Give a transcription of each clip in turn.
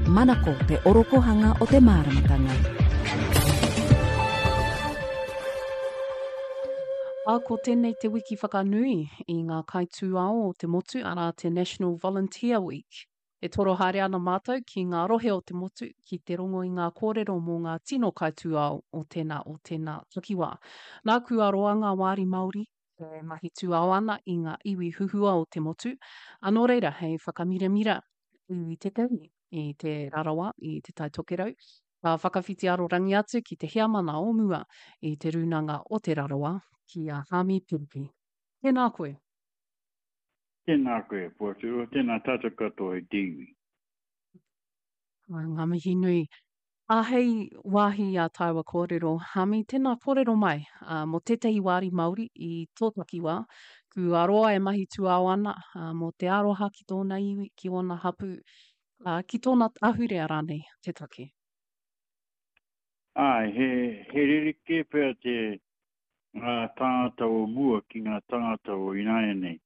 Manako te orokohanga o te māramatanga. Ā, ko tēnei te wiki whakanui i ngā kaitūao o te motu, arā te National Volunteer Week. E toro haere ana mātou ki ngā rohe o te motu ki te rongo i ngā kōrero mō ngā tino kaitūao o tēnā o tēnā takiwā. Nāku a roa ngā wāri Māori e mahi tūao ana i ngā iwi huhua o te motu, ā, nō reira hei whakamiramira i tētahi, i Te Rarawa, i Te Tai Tokerau, ka whakawhiti arorangi atu ki te heamana o mua i Te Rūnanga o Te Rarawa, ki a Haami Piripi. Tēnā koe. Tēnā koe, Poatu, tēnā tātou katoa i te iwi. Ngā mihi nui. Ā, hei wāhi i ā tāua kōrero, Hami, tēnā kōrero mai, ā, mō tētahi wāri Māori i tō takiwā, kua roa e mahi tūao ana, ā, mō te aroha ki tōna iwi, ki ōna hapū, ā, ki tōna ahurea rānei te take. Āe, he, he rerekē pea te, ngā tāngata o mua ki ngā tāngata o ināianei.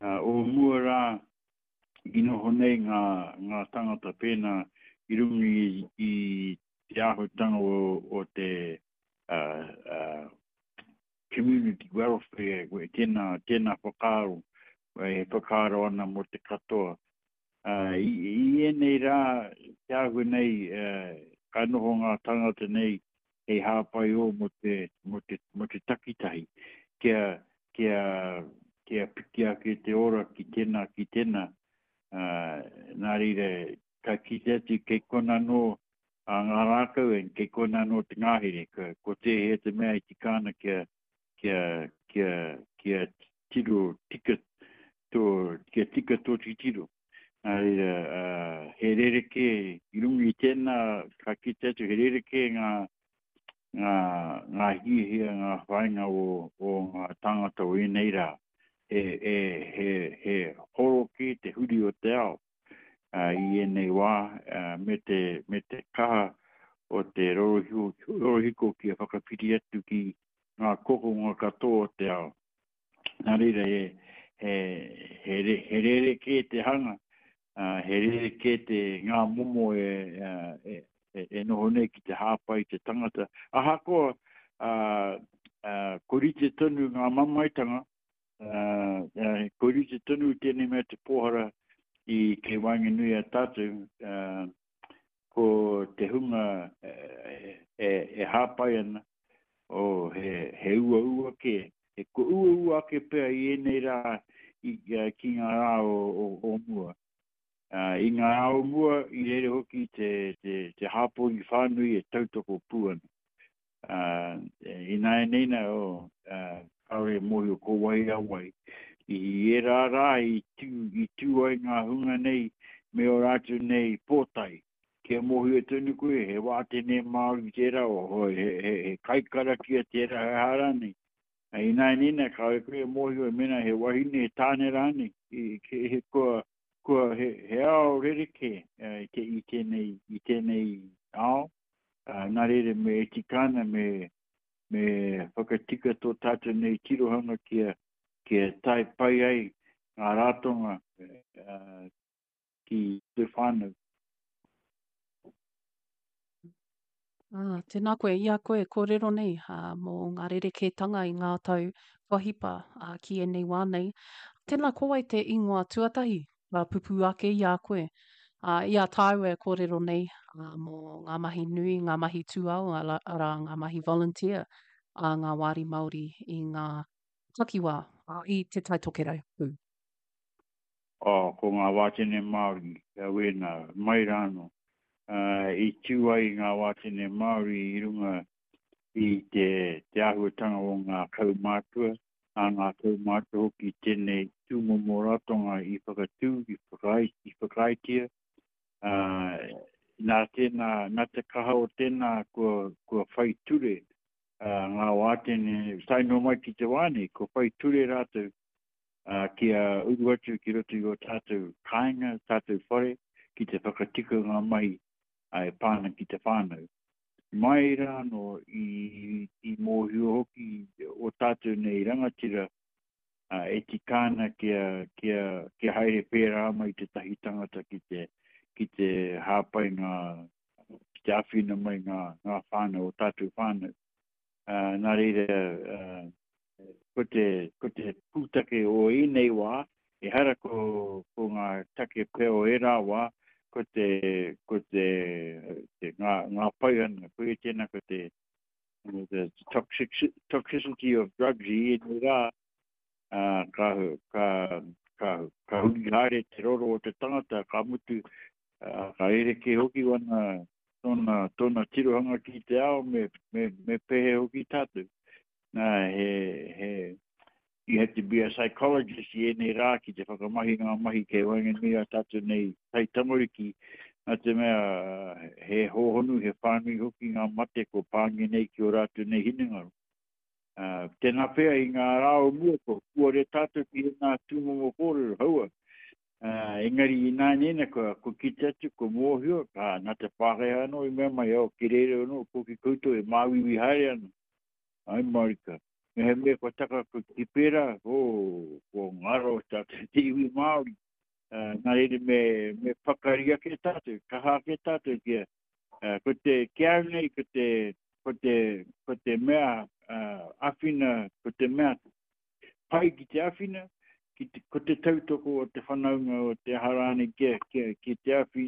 Ā, o mua rā, i noho nei ngā, ngā tangata pēnā i runga i, i te āhuatanga o, o te uh, uh, community welfare, tēnā, tēnā whakaaro, e whakaaro ana mō te katoa. Uh, i, I ēnei rā, te āhua nei, uh, ka noho ngā tangata nei hei hāpai ō mō te, mō te, mō te takitahi, kia, kia, kia piki ake te ora ki tēnā, ki tēnā. Ā, nā reira, ka kite atu kei kona anō a ngā rākau, and kei kona anō te ngahere, ko, ko tēhea te mea e tika ana kia, kia, kia, kia tiro tika tō, kia tika tō titiro. Nā reira, ā, he rerekē, i runga i tēnā, ka kite atu he rerekē ngā, ngā, ngā hiahia, ngā whāinga o, o ngā tāngata o ēnei rā. He, he, he, he horo kē te huri o te ao ā, i ēnei wā, ā, me te, me te kaha o te rorohiko, rorohiko kia whakawhiti atu ki ngā kokonga katoa o te ao. Nā reira, he, he, he, he rerekē te hanga, uh, he rerekē te ngā momo e, e, e, e noho nei ki te hāpai te tangata. Ahakoa, uh, uh, ko rite tonu ngā mamaetanga, uh, uh, ko rite tonu tēnei mea te pōhara i kei waenganui a tātou, uh, ko te hunga e, e, e hāpai ana, oh, he, he uaua kē, he ko uaua ake pea i ēnei rā i, ki ngā rā o, o, o mua. Uh, I ngā rā o mua, i reira hoki te, te, te hāpori whānui e tautoko pū ana. Ā, ināianei nā, oh, ā, kāore e mōhio ko wai a wai. I ērā rā i tū, i tū ai ngā hunga nei me ō rātou nei pōtae. Kia mōhio tonu koe, he wātene Māori tērā, oh, he, he, he kaikarakia tērā, he aha rānei. Ā, ināianei nā, kāore koe e mōhio mēnā he wahine, he tāne rānei. I, he, kua, kua, he, he ao rerekē i, te, i tēnei, i tēnei ao. Ā, nā reira me e tika ana me, me whakatika tō tātou nei tirohanga kia, kia tae pai ai ngā ratonga ā, ki te whānau. Ā, tēnā koe, i a koe e kōrero nei ā, mō ngā rerekētanga i ngā tau kua hipa ā, ki ēnei wā nei. Tēnā, ko wai te ingoa tuatahi ka pupū ake i a koe. Ā, i a tāua e kōrero nei ā, mō ngā mahi nui, ngā mahi tūao, arā, ngā mahi volunteer a ngā wāri Māori i ngā takiwā, ā, i Te Tai Tokerau pū. Oh, ko ngā wātene Māori, wēnā, mai rānō, ā, i tū ai ngā wātene Māori i runga i te, te āhuatanga o ngā kaumātua, a ngā kaumātua hoki tēnei tūmomo ratonga i whakatū, i, whakaae, i whakaaetia. Ā, nā tēnā, nā te kaha o tēnā kua, kua whai ture ā, ngā wātene, tae noa mai ki te wā nei, kua whai ture rātou ā, kia uru atu ki roto i ō tātou kāinga, tātou whare, ki te whakatika ngā mahi ā, e pā ana ki te whānau. Mai rā anō i, i mōhio hoki o tātou nei rangatira e tika ana kia, kia, kia haere pērā mai tētahi tangata ki te, ki te hā, hāpai ngā, ki te āwhina mai ngā, ngā whānau, o tātou whānau. Uh, nā reira, uh, ko te, ko te pūtake o ēnei wā, ehara ko, ko ngā take pea o ērā wā, ko te, ko te, te ngā, ngā paihana, ko e tēnā ko te, the toxic, toxicity of drugs i ēnei rā, uh, ka, ka, ka, ka huri haere te roro o te tangata, ka mutu, uh, ka rerekē hoki wana, tōna, tōna tirohanga ki te ao me, me, me pēhea hoki tātou. Nā, he, he, you have to be a psychologist i ēnei rā ki te whakamahi ngā mahi kei waenganui a tātou nei taitamariki, nā te mea he hōhonu, he whānui hoki ngā mate ko pāngia nei ki ō rātou nei hinengaro. Uh, tēnā pea i ngā rā o mua ko kuare tātou ki ēnā tūmomo kōrero, haua. Uh, engari i nāianei kua, kua kite atu, kua mōhio, ka, nā te Pākehā anō i mea mai, oh, ki reira anō, ko ki koutou e māuiui haere ana. Ai marika. Mehemea kua taka ki pērā, oh, kua ngaro tātou te iwi Māori. Uh, nā reira me, me pakari ake tātou, kaha ake tātou kia, Uh, ko te, ki au nei, ko te, ko te, ko te mea uh, awhina, ko te mea pai ki te awhina, ki te, ko te tautoko o te whanaunga o te aha rānei kia, kia, ki te awhi,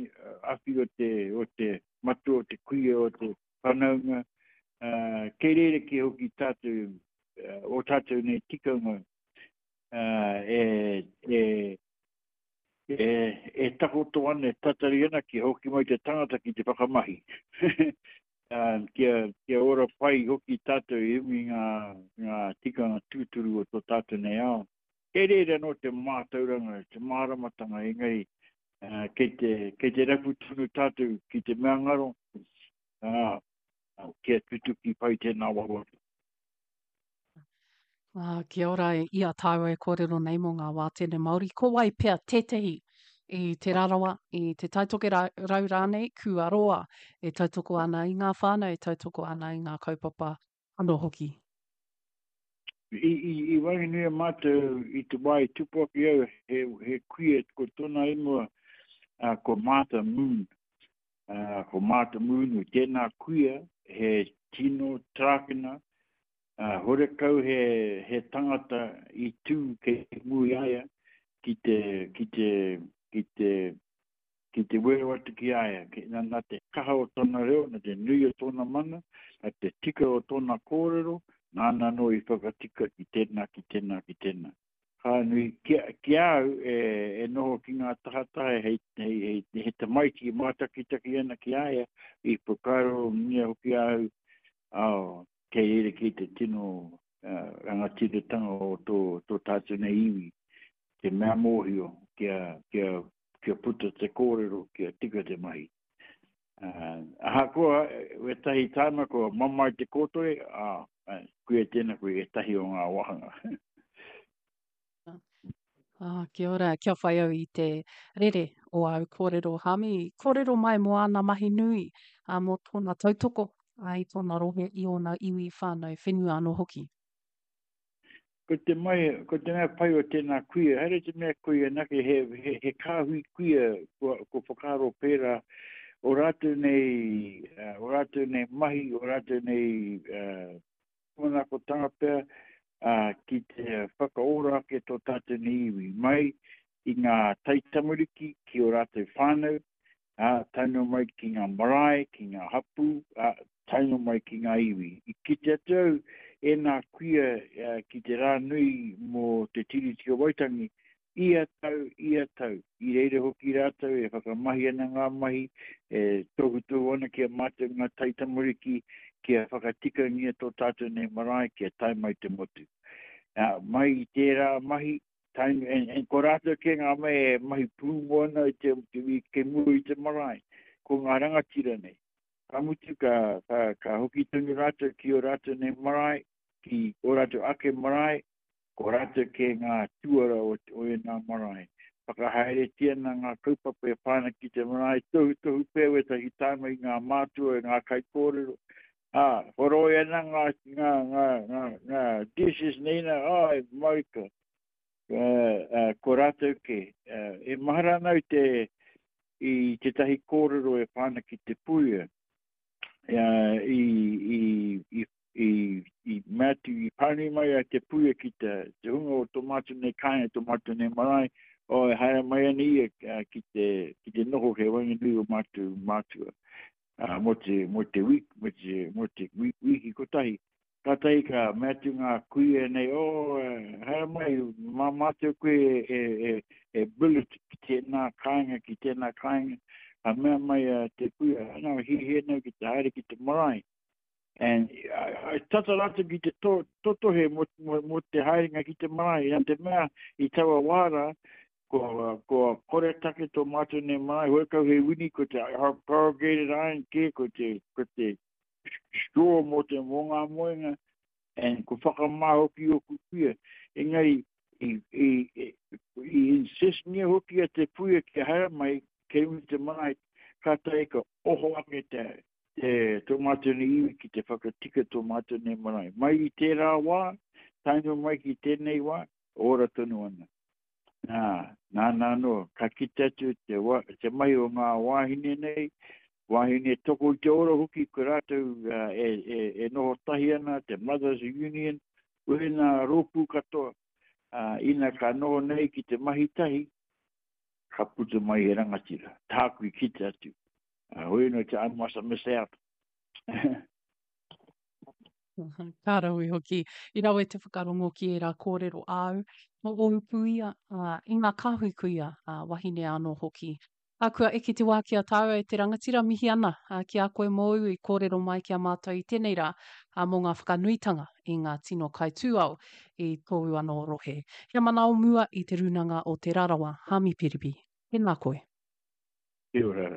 awhi o te, o te matua, o te kuia, o te whanaunga, uh, kei reira ki hoki tātou, uh, o tātou nei tikanga, uh, e, e, e, e takoto ana, e tatari ana kia hoki mai te tangata ki te whakamahi. uh, kia, kia ora pai hoki tātou i runga i ngā, ngā tikanga tūturu o tō tātou nei ao. Kei reira anō te mātauranga, te māramatanga, engari uh, kei, te, kei te rapu tonu tātou ki te mea ngaro, uh, kia tutuki pai tēnā wawata. Ā, kia ora i a tāua e kōrero nei mō ngā wātene Māori, ko wai pea tētehi i Te Rarawa, i Te Taitokerau rānei, kua roa e tautoko ana i ngā whānau, e tautoko ana i ngā kaupapa anō hoki? I, i, i waenganui a mātou i te wā i tupu ake au, he, he kuia, ko tōna ingoa, uh, ko Martha Moon. Uh, ko Martha Moon, tēnā kuia, he tino trākina, Ā, horekau he, he tangata i tū kei mua i a ia ki te, ki te, ki te, ki te wero atu ki a ia, ki, nā, nā te kaha o tōna reo, nā te nui o tōna mana, nā te tika o tōna kōrero, nāna anō i whakatika ki tēnā, ki tēnā, ki tēnā. Ka nui, ki, ki a au e, e noho ki ngā tahataha hei, hei, hei, hei tamaiti e mātakitaki ana ki a ia, i whakaarongia hoki a au, oh, Kei reira kei te tino rangatiratanga o tō, tō tātou nei iwi, te mea mōhio kia, kia, kia puta te kōrero, kia tika te mahi. Uh, ahakoa, wētahi tāna kua mamae te kōtore, ā, koia tēnā koe ētahi o ngā wāhanga. Ah, kia ora, kia whai au i te rere o āu kōrero, Hami. Kōrero mai mō āna mahi nui, ā, mō tōna tautoko ā, i tōna rohe, i ōna iwi, whānau, whenua anō hoki. Ko te mai, ko te mea pai o tēnā kuia, haere te mea kuia anake, he, he, he kāhui kuia kua, kua whakaaro pērā, o rātou nei, uh, o rātou nei mahi, o rātou nei uh, Tūmanakotanga pea, ā, ki te whakaora ake tō tātou nei iwi, mai i ngā taitamariki ki ō rātou whānau, ā, tae noa mai ki ngā marae, ki ngā hapū, ā, tae noa mai ki ngā iwi. I kite atu au ēnā kuia ki te rā nui mō te Tiriti o Waitangi, Ia tau, ia tau, i reira hoki rātou e whakamahi ana ngā mahi, e tohutohu ana ki a mātou ngā taitamariki kia whakatikangia tō tātou nei marae kia tae mai te motu. Nā, mai i tērā mahi, tae, and, and ko rātou kē ngā mea e mahi pūmau ana i te, te, kei mua i te marae, ko ngā rangatira nei. Ka mutu, ka, ka, ka hoki tonu rātou ki ō rātou nei marae, ki ō rātou ake marae, Ko rātou kē ngā tuara o, o ēnā marae. Whakahaeretia ana ngā kaupapa e pā ana ki te marae, tohutohu pea wētahi tāma i ngā mātua, i ngā kaikōrero. Ā, horoi ana ngā, ngā, ngā, ngā, ngā dishes nei nā, āe, marika. Uh, uh, ko rātou kē. Uh, e mahara ana au te, i tētahi kōrero e pā ana ki te puia, i, i, i, i, i mea atu, i pānui mai a te puia ki te, te hunga o tō mātou nei kāinga, tō mātou nei marae, o, e haere mai ana ia ki te, ki te noho kei waenganui o mātou mātua. Uh, mō te, mō te week, mō te, mō te wiki kotahi. Kātahi ka mea atu ngā kuia nei, oh, haere mai, mā mātou koe e, e, e, e billet ki tēnā kāinga, ki tēnā kāinga. Ka mea mai a te kuia, ana, hiahia nei ki te haere ki te marae. And I, tata rātou ki te to, totohe mō, mō, mō te haerenga ki te marae. Nā te mea i taua wā rā, ko, ko koretake tō mātou nei marae, horekau he wini, ko te corrugated iron kē, ko te, ko te straw mō te mō ngā moenga, and ko whakamā hoki ōku kuia. Engari, i, i, i, i insistngia hoki a te puia kia haere mai, kei runga i te marae, kātahi ka oho ake te, te, tō mātou nei iwi ki te whakatika tō mātou nei marae. Mai i tērā wā, tae noa mai ki tēnei wā, ora tonu ana. Nā, nāna anō, ka kite atu te, wa, te mahi o ngā wāhine nei, wāhine toko i te ora hoki, ko rātou uh, e, e, e noho tahi ana, te Mothers Union, wēnā rōpū katoa, uh, ina ka noho nei ki te mahi tahi, ka puta mai he rangatira. Tāku i kite atu. Uh, hoi anō te I must miss out. Ka rawe hoki. I rawe te whakarongo ki ērā kōrero āu, mō ōu puia, ā, i ngā kāhui kuia, ā, wahine anō hoki. Ā, kua eke te wā ki a tāua e te rangatira, mihi ana ki a koe mōu i kōrero mai ki a mātou i tēnei rā, ā, mō ngā whakanuitanga i ngā tino kaitūao i tōu anō rohe. He mana o mua i Te Rūnanga o Te Rarawa, Hāmi Piripi. Tēnā koe. Kia ora.